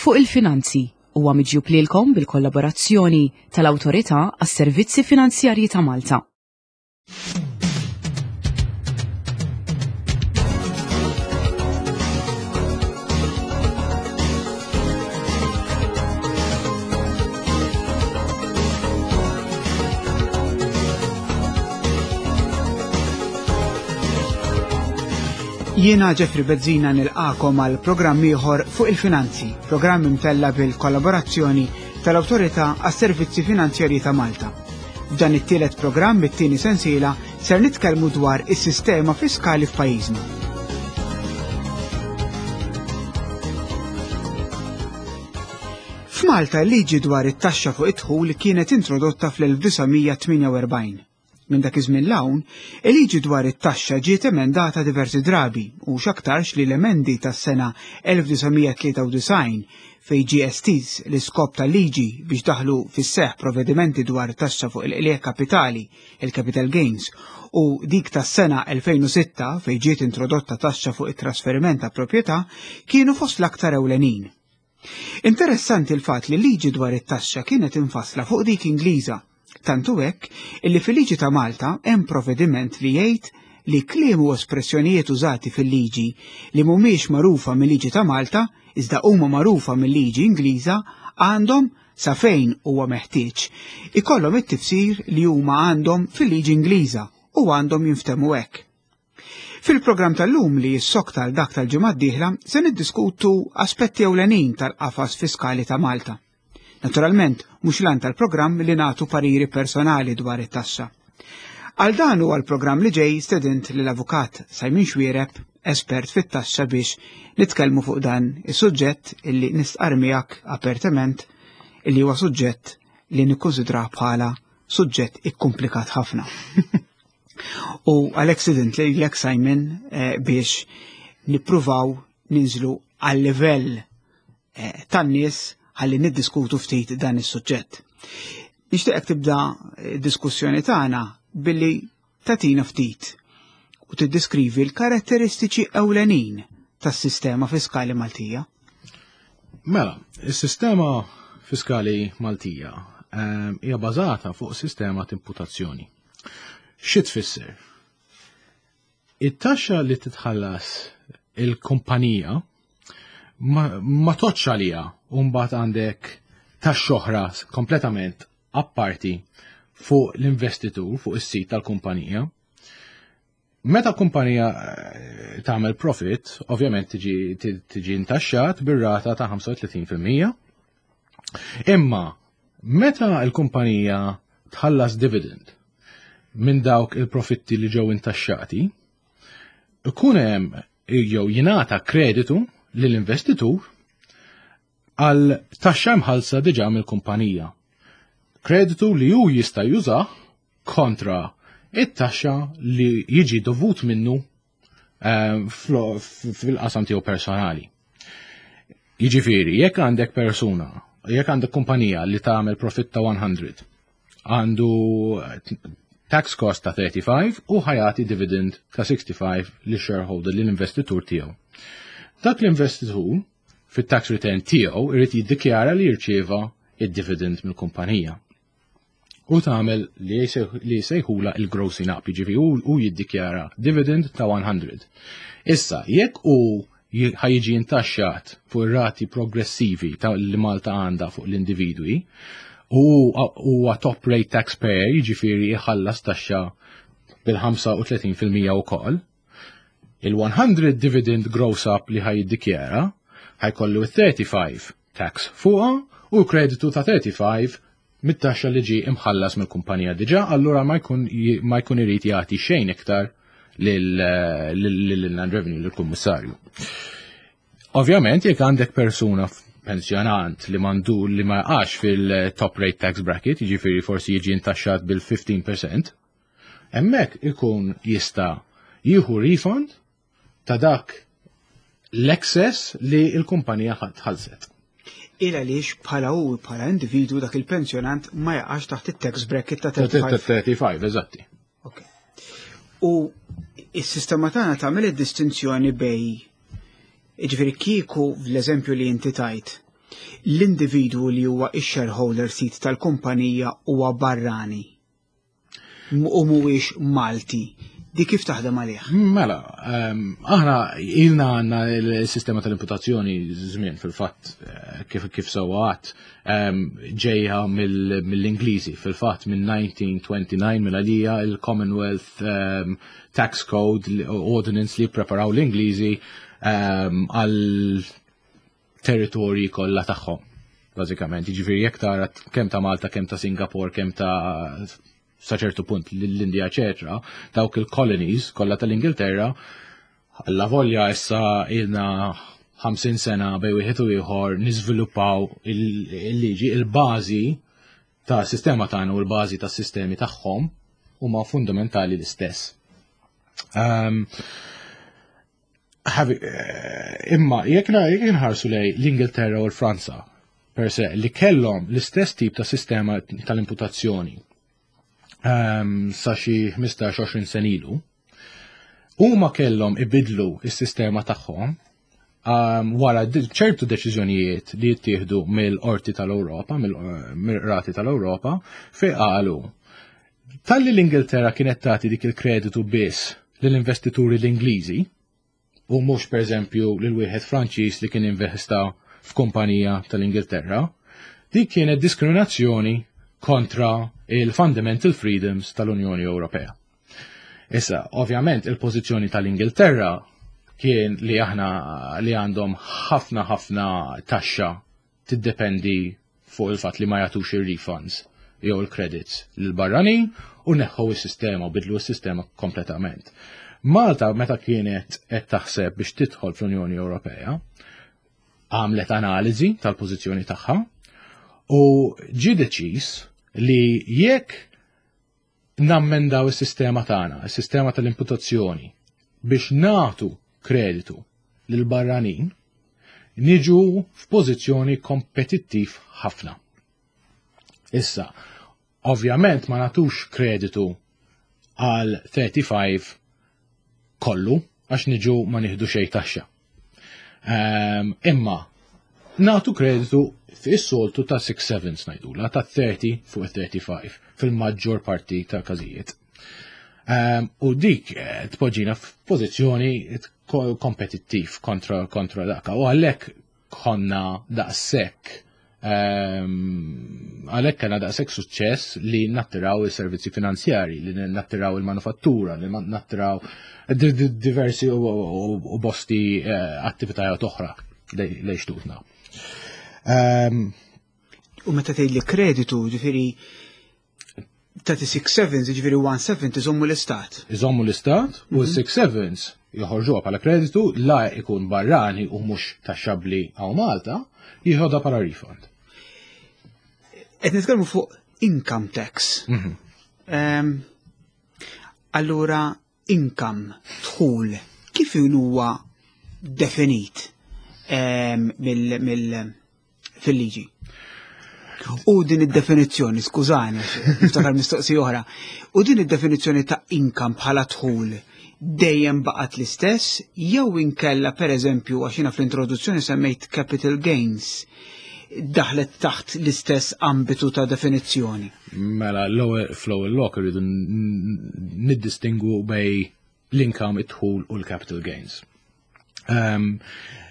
Fuq il-Finanzi huwa miġjub lilkom bil-kollaborazzjoni tal-Awtorità għas-Servizzi Finanzjarji ta' Malta. Jiena Jeffrey Bezzina nilqakom għal programm ieħor fuq il-finanzi, programm imtella bil-kollaborazzjoni tal-Awtorità għas-Servizzi Finanzjarji ta' Malta. F'dan it-tielet programm it-tieni sensiela ser nitkellmu dwar is-sistema fiskali f'pajjiżna. F'Malta l-liġi dwar it-taxxa fuq id-dħul kienet introdotta fl-1948. Minn dak iż-żmien 'l hawn, il-liġi dwar it-taxxa ġiet emendata diversi drabi u x'aktarx li l-emendi tas-sena 1993 fejn ġie estiż l-iskop tal-liġi biex daħlu fis-seħħ provvedimenti dwar taxxa fuq il-qligħ kapitali, il-capital gains, u dik tas-sena 2006 fejn ġiet introdotta taxxa fuq it-trasferiment ta' proprjetà kienu fost l-aktar ewlenin. Interessanti l-fatt li l-liġi dwar it-taxxa kienet imfassla fuq dik Ingliża. Tant hu hekk illi fil-liġi ta' Malta hemm provvediment li jgħid li kliem u espressjonijiet użati fil-liġi li mhumiex magħrufa mil-liġi ta' Malta iżda huma magħrufa mil-liġi Ingliża għandhom, sa fejn huwa meħtieġ, ikollhom it-tifsir li huma għandhom fil-liġi Ingliża u għandhom jinftehmu hekk. Fil-programm tal-lum li jissokta għal dak tal-ġimgħa d-dieħla se niddiskutu aspetti ewlenin tal-qafas fiskali ta' Malta. Naturalment, mhux l tal-programm li nagħtu pariri personali dwar it-taxxa. Għal dan u għal-programm li ġej stedint lill-avukat Simon Xuereb, espert fit-taxxa biex nitkellmu fuq dan is-suġġett illi nistqar miegħek apertament illi huwa suġġett li nikkunsidrah bħala suġġett ikkumplikat ħafna. U għalhekk stedint lilek Simon eh, biex nippruvaw ninżlu għal livell eh, tan-nies ħalli niddiskutu ftit dan is-suġġett. Nixtieqek tibda eh, diskussjoni tagħna billi tatina ftit u tiddiskrivi l-karatteristiċi ewlenin tas-sistema fiskali Maltija. Mela, is-sistema fiskali Maltija hija bażata fuq sistema ta' imputazzjoni. Xi tfisser? It-taxxa li titħallas il-kumpanija ma, ma toċċ għalija u mbagħad għandek taxxa oħra kompletament apparti fuq l-investitur, fuq is-sit tal-kumpanija. Meta kumpanija eh, tagħmel profit, ovvjament tiġi intaxxat bir-rata ta' 35%. Imma meta l-kumpanija tħallas dividend minn dawk il-profitti li ġew intaxxati, ikun hemm jew jingħata kreditu lill-investitur għal taxxa mħallsa diġà mill-kumpanija. Kreditu li hu jista' jużah kontra it-taxxa li jiġi dovut minnu eh, fil-qasam tiegħu personali. Jiġifieri, jekk għandek persuna, jekk għandek kumpanija li tagħmel profitt ta' 100, għandu tax cost ta' 35 u ħajati dividend ta' 65 li shareholder li l-investitur tiegħu. Dak l-investitur fit-tax return tiegħu irid jiddikjara li jirċieva id-dividend mill-kumpanija. U tagħmel li jsejħula il-grossing up, jiġifieri hu jiddikjara dividend ta' 100. Issa, jekk hu ħajġi intaxxat fuq ir-rati progressivi ta' li Malta għandha fuq l-individwi, u huwa top rate taxpayer, jiġifieri jħallas taxxa bil-35% ukoll, Il-100 dividend gross up li ħaj jiddikjara ħajkollu 35 tax fuqha u kreditu ta' 35 mit-taxxa li ġie imħallas mill-kumpanija diġà, allura ma jkun ma jkun irid jagħti xejn iktar lill-Inland Revenue lill-Kummissarju. Ovvjament jekk għandek persuna pensjonant li mandu li ma jaqax fil-top rate tax bracket, jiġifieri forsi jiġi intaxxat bil-15%, Hemmhekk ikun jista' jieħu refund ta' dak l-excess li l-kumpanija tħallset. Il għaliex bħala hu bħala individwu dak il-pensjonant ma jaqax taħt it-tax bracket ta' 35. 35, eżatti. Ok. U is-sistema tagħna tagħmel id-distinzjoni bej Ġifieri kieku l-eżempju li inti tajt. L-individwu li huwa x-shareholder sid tal-kumpanija huwa barrani u mhuwiex Malti. Di kif taħdem għalih? Mela, aħna ilna għandna l-sistema tal-imputazzjoni żmien fil-fatt kif sewwa għadt ġejja mill-Ingliżi fil-fatt minn 1929 minn għalija il-Commonwealth Tax Code Ordinance li preparaw l-Ingliżi għal territorji kollha tagħhom. Bażikament, jiġifieri jekk tara kemm ta' Malta, kemm ta' Singapore, kemm ta' sa ċertu punt l-Indja, eċetera, dawk il-colonies kollha tal-Ingilterra, alla volja issa ilna 50 sena bej wieħed u ieħor niżviluppaw il-liġi, il-bażi ta' sistema tagħna u l-bażi tas sistemi tagħhom huma fundamentali l-istess. Imma jekk nħarsu lej l-Ingilterra u l-Franza per se li kellhom l-istess tip ta' sistema tal-imputazzjoni sa xi 15-20 sen ilu, huma kellhom ibidlu s-sistema tagħhom wara ċertu deċiżjonijiet li jittieħdu mill-Qorti tal-Ewropa, mill-Qrati tal-Ewropa, fejn qalu talli l-Ingilterra kienet tagħti dik il-kreditu biss lill-investituri l-Ingliżi u mhux pereżempju lil wieħed Franċiż li kien investa f'kumpanija tal-Ingilterra, dik kienet diskriminazzjoni kontra il-fundamental freedoms tal-Unjoni Ewropea. Issa, ovvjament, il-pożizzjoni tal-Ingilterra kien li aħna li għandhom ħafna ħafna taxxa tiddependi fuq il-fatt li ma jagħtux ir-refunds jew il-credits lil barranin u neħħu s-sistema u bidlu s-sistema kompletament. Malta meta kienet qed taħseb biex tidħol fl-Unjoni Ewropea, għamlet analiżi tal-pożizzjoni tagħha u ġie deċiż li jekk nammendaw is-sistema tagħna, is-sistema tal-imputazzjoni biex nagħtu kreditu lil barranin, niġu f'pożizzjoni kompetittiv ħafna. Issa, ovvjament ma nagħtux kreditu għal 35 kollu għax niġu ma nieħdu xejn taxxa. Imma nagħtu kreditu fis-soltu ta' 6 sevens ngħidula ta' 30 fuq 35 fil-maġġor parti ta' każijiet. U dik tpoġġina f'pożizzjoni kompetittiv kontra daka. U għalhekk konna daqshekk għalhekk kellna daqshekk suċċess li nattiraw is-servizzi finanzjari, li nattiraw il-manufattura, li nattiraw diversi u bosti attivitajiet oħra lejn xtutna. U meta tgħid li kreditu, ġifieri 36 sevens, ġifieri 170 iżommu l-istat. Iżommu l-istat u 6 sevens joħorġuha bħala kreditu la ikun barrani u mhux taxxabbli hawn Malta, jieħodha bħala refund. Qed nitkellmu fuq income tax. Allura income, dħul, kif huwa definit mill fil-liġi? U din id-definizzjoni, skużani, niftakar mistoqsija oħra, u din id-definizzjoni ta' income bħala dħul dejjem baqgħet l-istess jew inkella pereżempju għax jiena fl-introduzzjoni semmejt capital gains daħlet taħt l-istess ambitu ta' definizzjoni. Mela, l-ewwel fl-ewwel lok irridu niddistingu bej l-income, id-dħul u l-capital gains.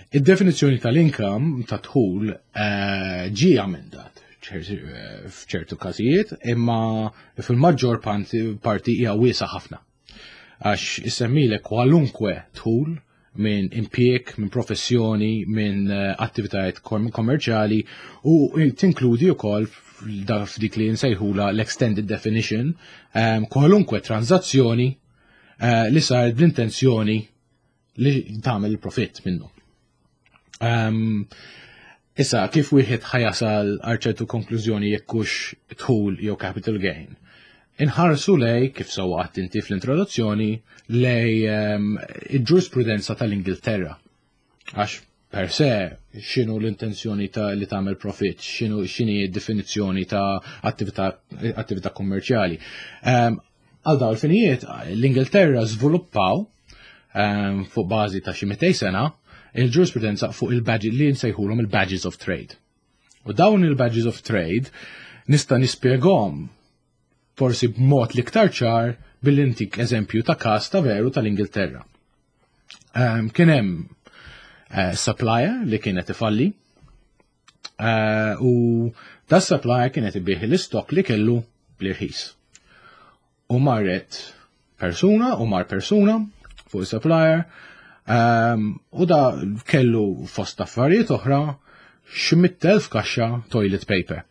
Id-definizzjoni tal-income ta' dħul ġie amendat f'ċertu każijiet, imma fil-maġġor parti hija wiesa ħafna. Għax issemmilek kwalunkwe dħul minn impjieg, minn professjoni, minn attivitajiet kommerċjali u tinkludi wkoll f'dik li nsejħula l-extended definition kwalunkwe tranzazzjoni li saret bl-intenzjoni li tagħmel il-profitt minnu. Issa, kif wieħed ħa jasal għal ċertu konklużjoni jekk hux dħul jew capital gain? Inħarsu lej, kif sewwa għedt inti fl-introduzzjoni, lej il-ġurisprudenza tal-Ingilterra. Għax per se, x'inhu l-intenzjoni ta' li tagħmel profit, x'inhu x'inhi d-definizzjoni ta' attività kummerċjali. Għal dawn il-finijiet, l-Ingilterra żviluppaw fuq bażi ta' xi 200 sena il-ġurisprudenza fuq il-badge li nsejħulhom il-badges of trade. U dawn il-badges of trade nista' nispjegahom forsi b'mod l-iktar ċar billi ntik eżempju ta' każ ta' veru tal-Ingilterra. Kien hemm supplier li kienet ifalli u da supplier kienet ibih l-istok li kellu bl-irħis. U marret persuna u mar persuna fuq il-supplier u da kellu fost affarijiet oħra xi 100,000 kaxxa toilet paper.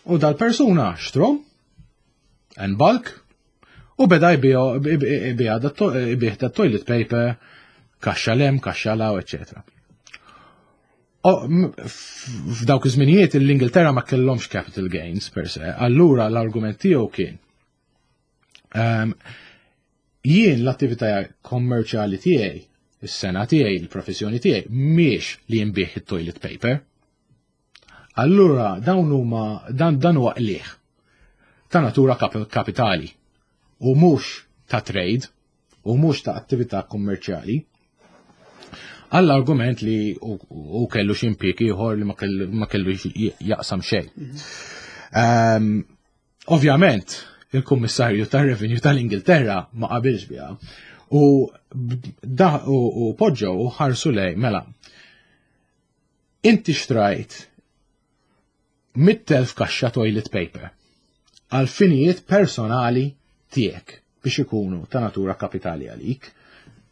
U dal-persuna xtrom en bulk u beda jbigħ da toilet paper kaxxa lem, kaxxa law, eccetera. F'dawk iż-żminijiet l-Ingilterra ma kellhomx capital gains per se, allura l-argument tiegħu kien jien l-attività kommerċjali tiegħi, is-sengħa tiegħi, il-professjoni tiegħi mhix li nbigħ it-toilet paper. Allura dawn huma dan dan huwa qligħ ta' natura kapitali u mhux ta' trade u mhux ta' attività kummerċjali. Għall-argument li u kellu xi impjieg ieħor li ma kellu jaqsam xejn. Ovvjament, il-Kummissarju tar-Revenue tal-Ingilterra ma qabilx biha u da u poġġew u ħarsu lej mela. Inti xtrajt 100,000 kaxxa toilet paper għal finijiet personali tiegħek biex ikunu ta' natura kapitali għalik.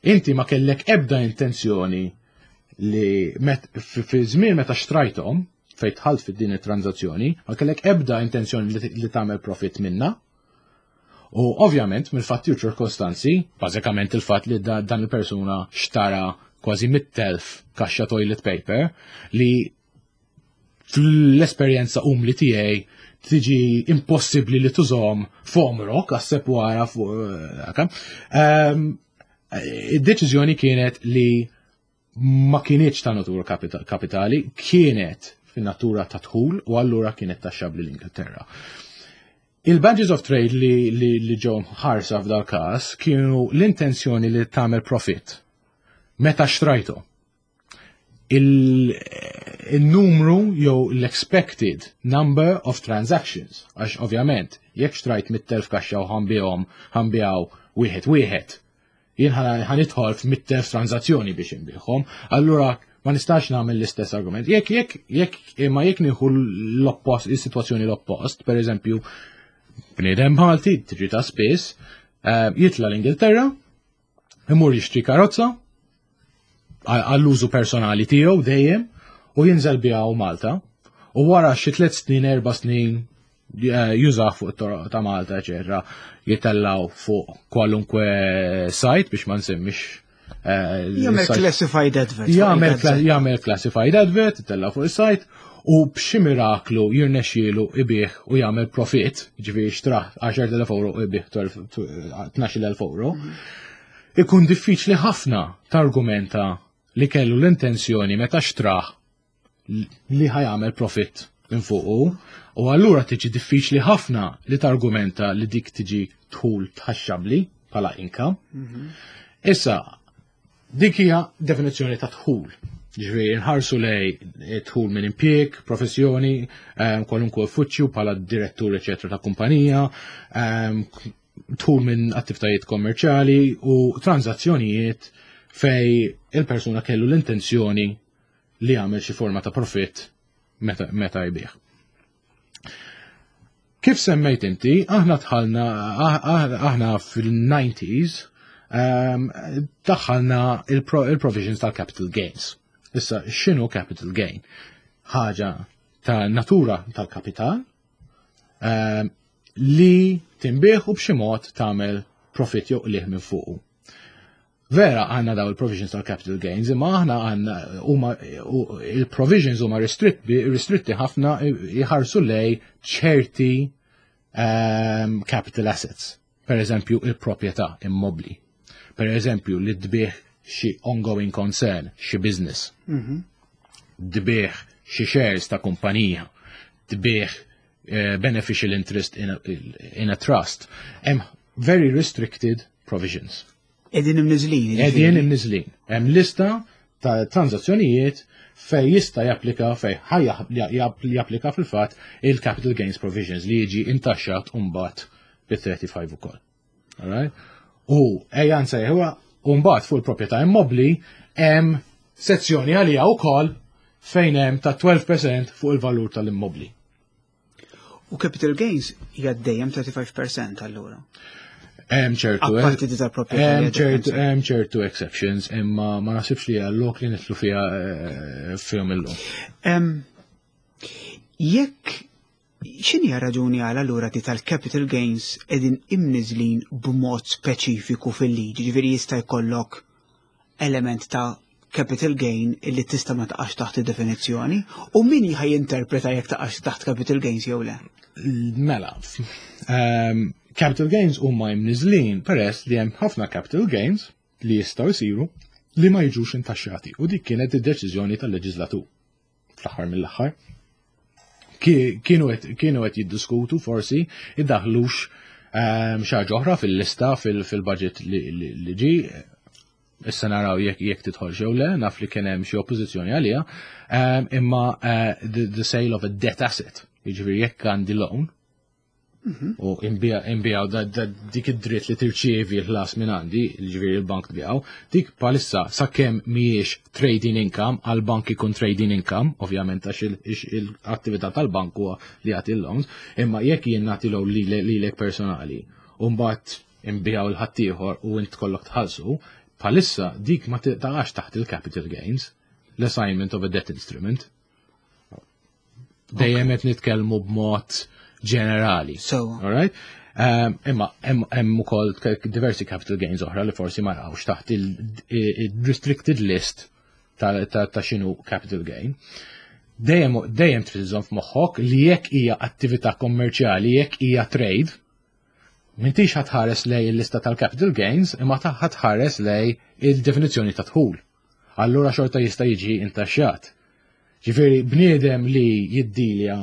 Inti ma kellek ebda intenzjoni li fi żmien meta xtrajthom fejn dħalt fid din it-tranzazzjoni, ma kellek ebda intenzjoni li tagħmel profit minna. U ovvjament mill-fatti u ċirkostanzi, bażikament il-fatt li dan il-persuna xtara kważi 100,000 kaxxa toilet paper li fl-esperjenza umli tiegħi tiġi impossibbli li tużhom f'għomrok għasseb wara fuq. Id-deċiżjoni kienet li ma kienieċ ta' natura kapitali, kienet fin-natura ta' dħul u allura kienet taxxabli l-Ingilterra. Il-badges of trade li ġew ħarsa f'dal każ kienu l-intenzjoni li tagħmel profit meta xtrajtu. Il-numru jew l-expected number of transactions, għax ovvjament jekk xtrajt 100,000 kaxxa u ħa nbigħu wieħed wieħed, jien ħa nidħol f'100,000 tranzazzjoni biex inbigħhom, allura ma nistax nagħmel l-istess argument. Jekk imma jekk nieħu l-oppost, is-sitwazzjoni l-oppost, per eżempju, bniedem Malti, tiġi ta' spiss, jitla l-Ingilterra, imur jixtri karozza, għall-użu personali tiegħu dejjem, u jinżel biha Malta, u wara xi 3 snin, 4 snin jużah fuq it-toroq ta' Malta, eċetera, jitellaw fuq kwalunkwe site biex ma nsemmix. Jagħmel classified advert. Jagħmel classified advert, jitella fuq is-site u b'xi miraklu jirnexxielu ibigħ u jagħmel profit, ġifieri xtrah 10,000 euro u ibigħ 12,000 euro. Ikun diffiċli ħafna targumenta li kellu l-intenzjoni meta xtrah li ħa jagħmel profit minn fuqu u allura tiġi diffiċli ħafna li targumenta li dik tiġi dħul taxxabli bħala income. Issa, dik hija definizzjoni ta' dħul. Ġifieri nħarsu lej dħul minn impjieg, professjoni, kwalunkwe uffiċċju bħala direttur eċetera ta' kumpanija, dħul minn attivitajiet kommerċjali u tranzazzjonijiet fej il-persuna kellu l-intenzjoni li jagħmel xi forma ta' profit meta jbigħ. Kif semmejt inti, aħna dħalna, aħna fil-90s, daħħalna il-provisions tal-capital gains. Issa, x'inhu capital gain? Ħaġa ta' natura tal-kapital li tinbiegħ u b'xi mod tagħmel profit jew qligħ minn fuqu. Vera għandna daw il-provisions tal-capital gains, imma aħna għandna huma il-provisions huma ristritti ħafna, jħarsu lej ċerti capital assets. Per eżempju, il-proprjetà immobli. Per eżempju, li tbigħ xi ongoing concern, xi business. Tbigħ xi shares ta' kumpanija, tbigħ beneficial interest in a trust. Hemm very restricted provisions. Qegħdin imniżżlin. Qegħdin imniżżlin. Hemm lista. ta' transazzjonijiet fej jista' japplika fej ħaj japplika fil-fatt il-capital gains provisions li jiġi intaxxat mbagħad bit-35 ukoll. Alright? U ejja nsejħuha u mbagħad fuq il-proprjetà immobbli hemm sezzjoni għalija wkoll fejn hemm ta' 12% fuq il-valur tal-immobbli. U capital gains hija dejjem 35% allura. Hemm ċertu Apparti di tal-proprjetà. Hemm ċertu hemm ċertu exceptions imma ma naħsibx li għallok li nitlu fiha eh, fihom illum. Jekk x'inhi raġuni għal allura di tal-capital gains qegħdin imniżlin b'mod speċifiku fil-liġi, ġifieri jista' jkollok element ta' capital gain illi tista' ma taqax taħt id-definizzjoni u min ħaj jinterpreta jekk taqax taħt capital gains jew le? Mela, um, capital gains huma imniżlin peress li hemm ħafna capital gains li jistgħu jsiru li ma jiġux intaxxati u dik kienet id-deċiżjoni tal-leġislatur fl-aħħar mill-aħħar. Kienu qed jiddiskutu forsi iddaħlux ehm, xi ħaġa oħra fil-lista fil-budget li ġi issa naraw jekk jekk tidħol jew le, naf li kien hemm xi oppożizzjoni għaliha, ehm, imma eh, the sale of a debt asset, jiġifieri jekk għandi loan, mhm. u imbijaw dik id-dritt li tirċievi l-ħlas minn għandi, jiġifieri l-bank tbijaw, dik palissa sakemm mhijiex trading income, għal bank ikun trading income, ovvjament għax l-attività tal-bank huwa li jagħti l-loans, imma jekk jien nagħti loan lilek personali, u mbagħad imbijaw il-ħaddieħor u int kollok tħallsu, bħalissa dik ma taqax taħt il-capital gains, l-assignment of a debt instrument. Dejjem qed nitkellmu b'mod ġenerali. So. Alright? Um, imma hemm ukoll diversi capital gains oħra li forsi ma jaqgħux taħt il-restricted list ta' xinu capital gain. Dejjem dejjem trid iżomm f'moħħok li jekk hija attività kommerċjali, jekk hija trade, M'intix ħatħares lej il-lista tal-capital gains, imma ħatħares lej il-definizzjoni ta' dħul. Allura xorta jista' jiġi intaxxat. Ġifieri bniedem li jiddilja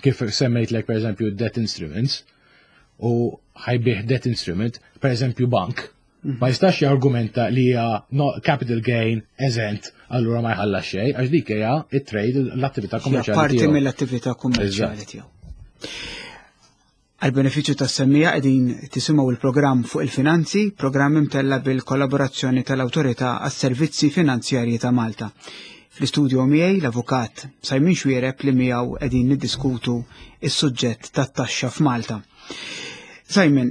kif semmejtlek per eżempju debt instruments u ħajbih debt instrument, per eżempju bank, mhm. ma jistax jargumenta li hija no capital gain eżent allura ma jħallas xejn għax dik hija it-trade l-attività kummerċjali. Parti mill-attività kummerċjali tiegħu. Għall-benefiċċju tas-semmiegħa qegħdin tisimgħu l-programm fuq il-finanzi, programm imtella' bil-kollaborazzjoni tal-Awtorità għas-Servizzi Finanzjarji ta' Malta. Fl-istudio miegħi l-Avukat Simon Xuereb li miegħu qegħdin niddiskutu is-suġġett tat-taxxa f'Malta. Simon,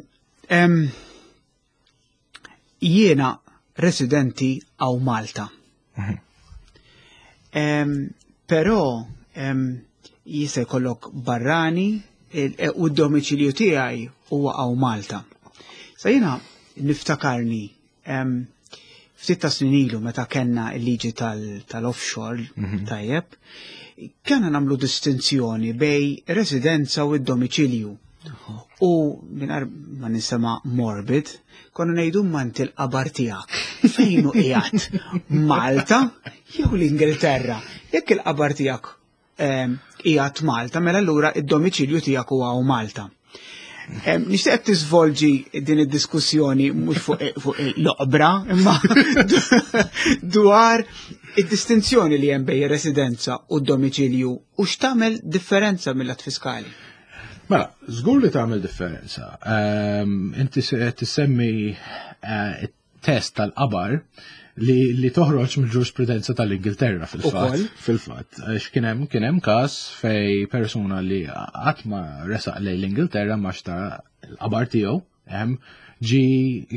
jiena residenti għaw Malta. Mhm. Però jista' jkollok barrani e, u d-domiċilju tiegħi huwa għaw Malta. Sa jiena niftakarni ftit ta' snin ilu meta kellna l-liġi tal-offshore mhm. tajjeb, kellna nagħmlu distinzjoni bej residenza u d-domiċilju. U mingħajr ma ninsema morbid, konna ngħidu mant il-qabar tiegħek. Fejn hu qiegħed? Malta jew l-Ingilterra? Jekk il-qabar tiegħek ehm, qiegħed Malta, mela allura id-domiċilju tiegħek huwa Malta. Ehm, nixtieq tiżvolġi din id-diskussjoni mhux fuq l-oqbra, imma dwar id-distinzjoni li hemm bejn residenza u d-domiċilju u x'tagħmel differenza mill-att fiskali. Mela, żgur li tagħmel differenza. Ehm, inti tissemmi eh, test tal-qabar li, li toħroġ mill-ġurisprudenza tal-Ingilterra fil-fatt. Fil-fatt, għax kien hemm kien hemm każ fej persuna li qatt ma resaq lejn l-Ingilterra ma xtara l-qabar tiegħu hemm ġi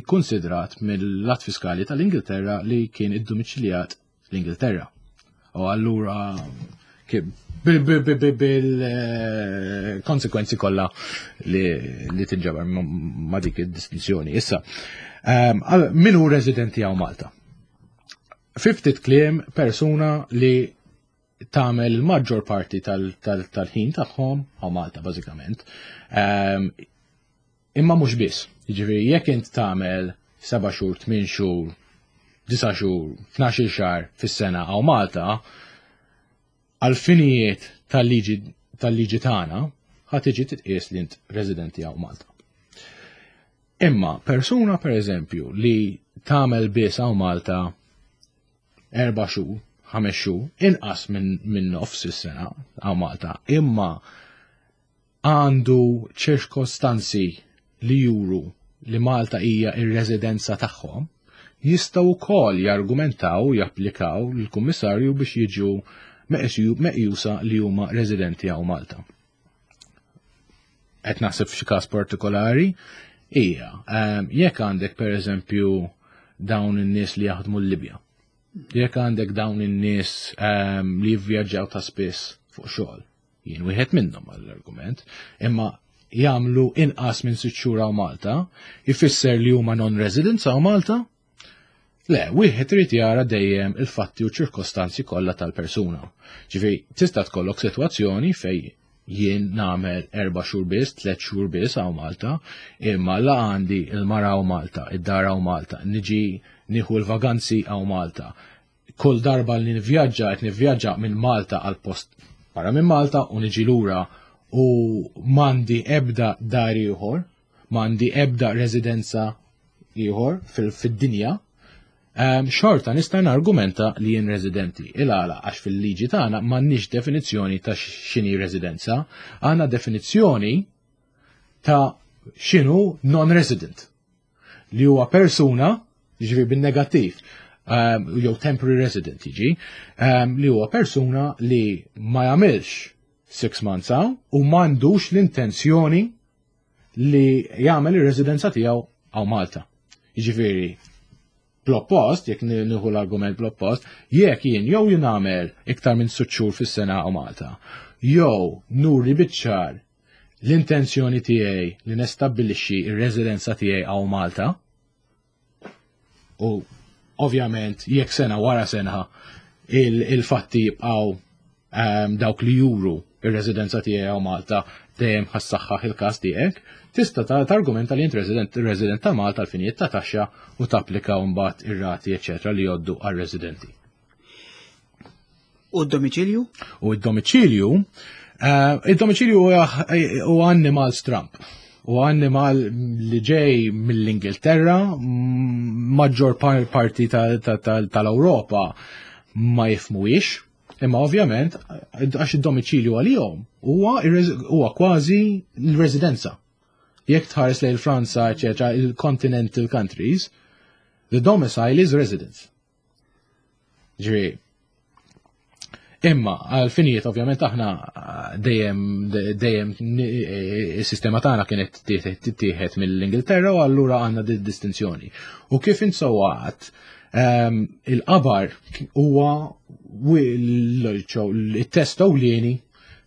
kkonsidrat mill-att fiskali tal-Ingilterra li kien iddomiċiljat l-Ingilterra. U allura bil-konsekwenzi kollha li tinġabar ma' dik id-distinzjoni. Issa, ehm, min hu residenti hawn Malta? Fiftit kliem persuna li tagħmel il-maġġor parti tal-ħin tagħhom hawn Malta bażikament. Ehm, Imma mhux biss. Jiġifieri jekk int tagħmel seba' xhur, tmien xhur, disa' xhur, tnax-il xahar fis-sena hawn Malta, għall-finijiet tal-liġi tal-liġi tagħna ħa tiġi titqies li int residenti hawn Malta. Imma persuna pereżempju li tagħmel biss hawn Malta. 4 xhur, 5 xhur, inqas minn nofs is-sena hawn Malta, imma għandu ċirkostanzi li juru li Malta hija ir-residenza tagħhom, jistgħu wkoll jargumentaw, japplikaw lill-Kummissarju biex jiġu meqjusa li huma residenti hawn Malta. Qed naħseb f'xi każ partikolari, hija jekk għandek, pereżempju, dawn in-nies li jaħdmu l-Libja. Jekk għandek dawn in-nies li jivvjaġġaw ta' spiss fuq xogħol, jien wieħed minnhom għall-argument, imma jagħmlu inqas minn 6 xhur hawn Malta, ifisser li huma non-residents hawn Malta? Le, wieħed irid jara dejjem il-fatti u ċirkostanzi kollha tal-persuna. Ġifieri, tista' tkollok sitwazzjoni fej jien nagħmel 4 xhur biss, 3 xhur biss hawn Malta, imma la għandi il-mara hawn Malta, id-dar hawn Malta, niġi nieħu l-vaganzi hawn Malta. Kull darba li nivvjaġġa qed nivvjaġġa minn Malta għal post barra minn Malta u niġi lura u m'għandi ebda dar ieħor, m'għandi ebda residenza ieħor fid-dinja, xorta nista' nargumenta li jien residenti. Il-għala? Għax fil-liġi tagħna m'għandniex definizzjoni ta' x'inhi residenza, għandna definizzjoni ta' x'inhu non-resident. Li huwa persuna, ġifieri bin-negattiv, jew temporary resident jiġi, li huwa persuna li ma jagħmilx 6 months hawn u m'għandux l-intenzjoni li jagħmel ir-residenza tiegħu hawn Malta. Jiġifieri, bl-oppost, jekk nieħu l-argument bl-oppost, jekk jien jew jien nagħmel iktar minn 6 xhur fis-sena hawn Malta, jew nuri biċ-ċar l-intenzjoni tiegħi li nestabbilixxi ir-residenza tiegħi hawn Malta, u ovvjament jekk sena wara sena il-fatti jibqgħu dawk li juru ir-residenza tiegħi hawn Malta, dejjem ħa ssaħħaħ il-każ tiegħek, tista' targumenta li int resident ta' Malta għal finijiet ta' taxxa u tapplika mbagħad ir-rati, eċetera, li jgħoddu għar-residenti. U d-domiċilju? U d-domiċilju, id-domiċilju huwa annimal stramp. U annimal li ġej mill-Ingilterra, maġġor parti tal-Ewropa ma jifhmuhiex, imma ovvjament għax id-domiċilju għalihom huwa kważi l-residenza. Jekk tħares lejn Franza, eċetera, il-continental countries, the domicile is residence. Ġifieri, imma għal-finijiet ovvjament aħna dejjem is-sistema tagħna kienet tittieħed mill-Ingilterra u allura għandna di distinzjoni. U kif insowat, il-qabar huwa il-test ewlieni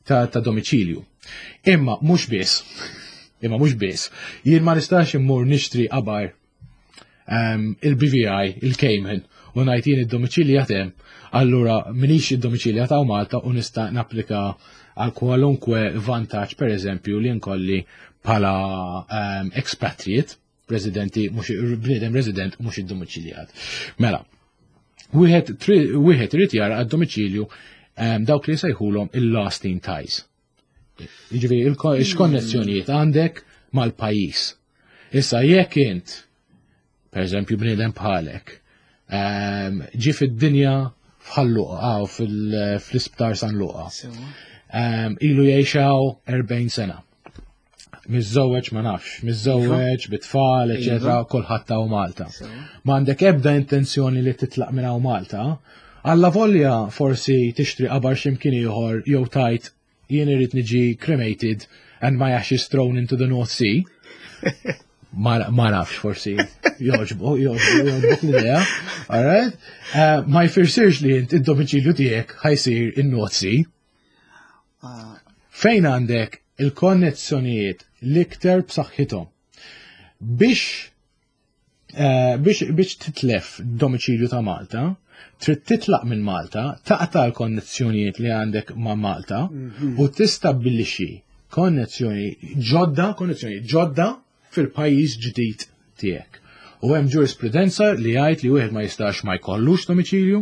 ta' domiċilju. Imma mhux biss, imma mhux biss, jien ma nistax immur nixtri qabar il-BVI, il-Cayman, u ngħid jien id-domiċilju hemm, allura minix id-domiċilju ta' Malta u nista' napplika għal kwalunkwe vantaġġ, per eżempju, li nkolli bħala expatriate, residenti, mhux bniedem resident mhux id-domiċiljat. Mela, wieħed irid jara għad-domiċilju dawk li jsejħulhom il-lasting ties. Jiġifieri x'konnessjonijiet għandek mal-pajjiż. Issa jekk int, per eżempju, bniedem bħalek, ġi fid-dinja f'Ħal Luqa, fl-isptar San Luqa. Ilu jgħix hawn 40 sena. Miżżewweġ, ma nafx, miżżewweġ, bit-tfal, eċetera, kulħadd hawn Malta. M'għandek ebda intenzjoni li titlaq minn hawn Malta, alla volja forsi tixtri qabar x'imkien ieħor jew tgħid jien irrid niġi cremated and my ashes thrown into the North Sea. Ma nafx, forsi joġbu, joġbu, joġbok l-idea, alright? Ma jfissirx li int id-domiċilju tiegħek ħa jsir in-North Sea. Fejn għandek il-konnezzjonijiet l-iktar b'saħħithom biex titlef domiċilju ta' Malta, trid titlaq minn Malta, taqta' l-konnezzjonijiet li għandek ma' Malta u tistabbilixxi konnezzjoni ġodda, konnezzjoni ġodda fil-pajjiż ġdid tiegħek. U hemm ġurisprudenza li jgħid li wieħed ma jistax ma jkollux domiċilju,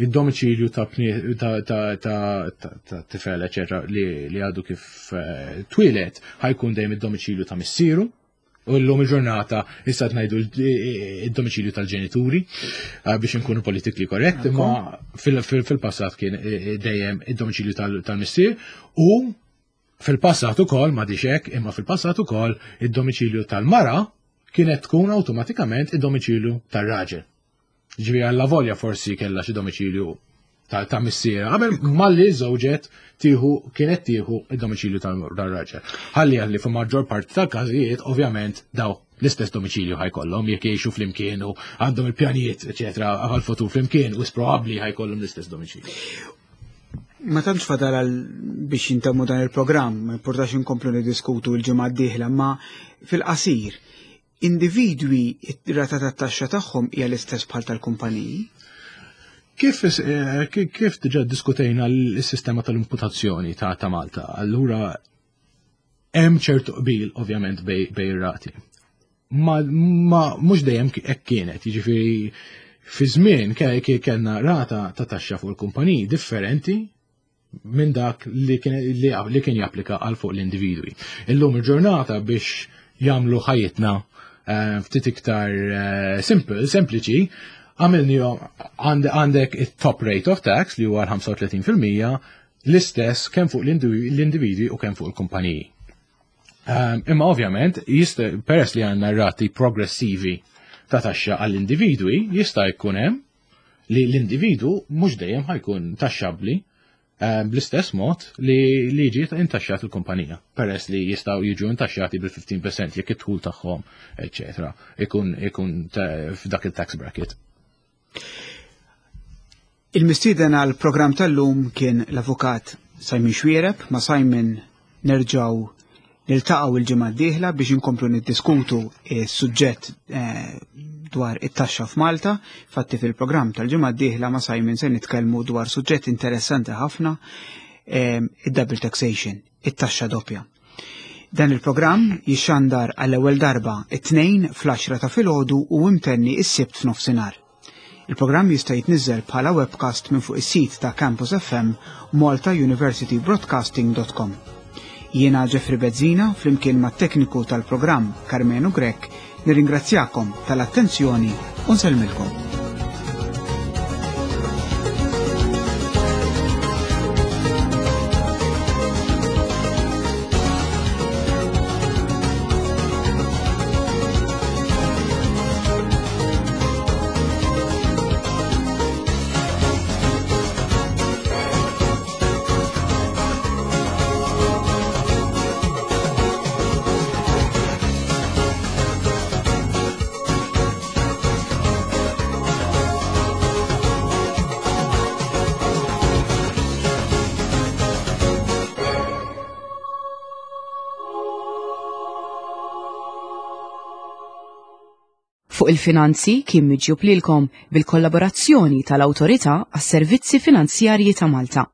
id-domiċilju ta' tifel, eċetera, li għadu kif twieled ħa jkun dejjem id-domiċilju ta' missieru. U l-lum il-ġurnata issa ngħidu id-domiċilju tal-ġenituri eh, biex nkunu politically correct, imma fil-passat kien eh, eh, dejjem id-domiċilju tal-missier u fil-passat ukoll ma hekk, imma fil-passat ukoll id-domiċilju tal-mara kienet tkun awtomatikament id-domiċilju tar-raġel. Ġifieri alla volja forsi kellha xi domiċilju ta' missiera. Qabel malli żewġet tieħu kienet tieħu id-domiċilju tal-raġel. Ħalli għalli fi maġġor parti tal-każijiet ovvjament daw l-istess domiċilju ħajkollhom jekk jgħixu flimkien u għandhom il-pjanijiet eċetera għal-futur flimkien u probabbli ħajkollhom l-istess domiċilju. Ma tantx fadal għal biex jintemmu dan il-programm, ma importax inkomplu niddiskutu l-ġimgħa d-dieħla, ma fil-qasir individwi r-rata tat-taxxa tagħhom hija l-istess bħal tal-kumpaniji? Kif, eh, kif diġà diskutejna l-sistema tal-imputazzjoni ta' ta' Malta, allura hemm ċertu qbil ovvjament bej, bej rati. Ma, ma mhux dejjem hekk kienet, jiġifieri fi żmien kellna rata ta' taxxa fuq il-kumpaniji differenti minn dak li kien, li, li kien japplika għal fuq l-individwi. Illum il-ġurnata biex jagħmlu ħajjitna eh, ftit iktar eh, simple, sempliċi, għamilni għandek it-top rate of tax li huwa l-35% l-istess kemm fuq l-individwi u kemm fuq il-kumpaniji. Ehm, imma ovvjament, peress li għandna rati progressivi ta' taxxa għall-individwi, jista' jkun hemm li l-individu mhux dejjem ħajkun taxxabbli eh, bl-istess mod li li jiġi intaxxat il-kumpanija, peress li jistgħu jiġu intaxxati bil-15% jekk id-dħul tagħhom, eċetera, ikun ikun f'dak il-tax bracket. Il-mistieden għal programm tal-lum kien l-avukat Simon Xwiereb, ma' Simon nerġgħu niltaqgħu il-ġimgħa d-dieħla biex inkomplu niddiskutu s-suġġett eh, dwar it-taxxa f'Malta. Fatti fil-programm tal-ġimgħa d-dieħla ma' Simon se nitkellmu dwar suġġett interessanti ħafna eh, id-double taxation, it-taxxa doppja. Dan il-programm jixxandar għall-ewwel darba it-tnejn fl-10 ta' filgħodu u imtenni s-sibt f'nofsinhar. Il-programm jista' jitniżżel bħala webcast minn fuq is-sit ta' Campus FM maltauniversitybroadcasting.com. Jiena Jeffrey Bezzina flimkien mat-tekniku tal-programm Karmenu Grech nirringrazzjakom tal-attenzjoni u nsellmilkom. Fuq il-finanzi kien miġjub lilkom bil-kollaborazzjoni tal-Awtorità għas-Servizzi Finanzjarji ta' Malta.